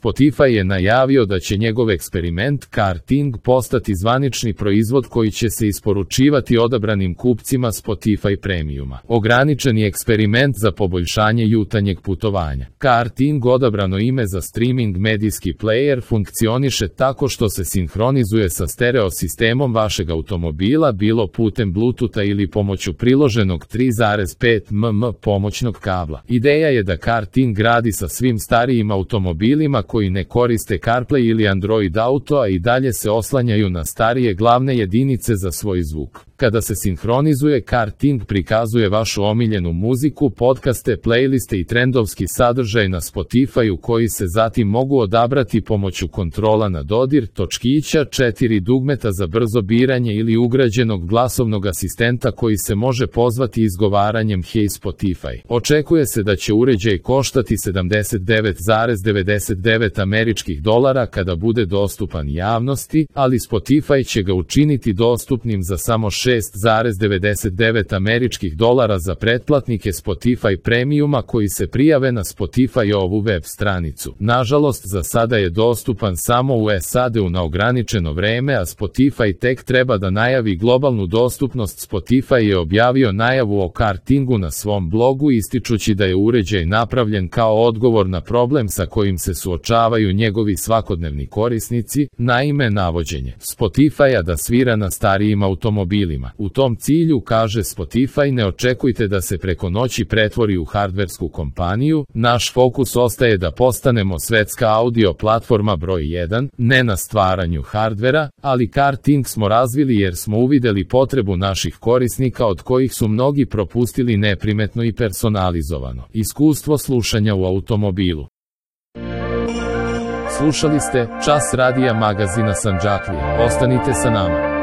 Spotify je najavio da će njegov eksperiment Karting postati zvanični proizvod koji će se isporučivati odabranim kupcima Spotify Premiuma. Ograničeni eksperiment za poboljšanje jutarnjeg putovanja. Karting, odabrano ime za streaming medijski player, funkcioniše tako što se sinhronizuje sa stereo sistemom vašeg automobila, bilo putem Bluetootha ili pomoću priloženog 3,5 mm pomoćnog kabla. Ideja je da Karting radi sa svim starijim automobilima koji ne koriste CarPlay ili Android Auto, a i dalje se oslanjaju na starije glavne jedinice za svoj zvuk. Kada se sinhronizuje, Karting prikazuje vašu omiljenu muziku, podcaste, playliste i trendovski sadržaj na Spotify-u koji se zatim mogu odabrati pomoću kontrola na dodir, točkića, 4 dugmeta za brzo biranje ili ugrađenog glasovnog asistenta koji se može pozvati izgovaranjem Hey Spotify. Očekuje se da će uređaj koštati $79,99 američkih dolara kada bude dostupan javnosti, ali Spotify će ga učiniti dostupnim za samo $6,99 američkih dolara za pretplatnike Spotify Premiuma koji se prijave na Spotify-ovu web stranicu. Nažalost, za sada je dostupan samo u SAD-u na ograničeno vreme, a Spotify tek treba da najavi globalnu dostupnost. Spotify je objavio najavu o Kartingu na svom blogu, ističući da je uređaj napravljen kao odgovor na problem sa kojim se suočavaju njegovi svakodnevni korisnici, naime navođenje Spotify-a da svira na starijim automobilima. U tom cilju, kaže Spotify, ne očekujte da se preko noći pretvori u hardversku kompaniju, naš fokus ostaje da postanemo svetska audio platforma broj 1, ne na stvaranju hardvera, ali Karting smo razvili jer smo uvideli potrebu naših korisnika od kojih su mnogi propustili neprimetno i personalizovano iskustvo slušanja u automobilu. Slušali ste Čas radija magazina Sandžaklija. Ostanite sa nama.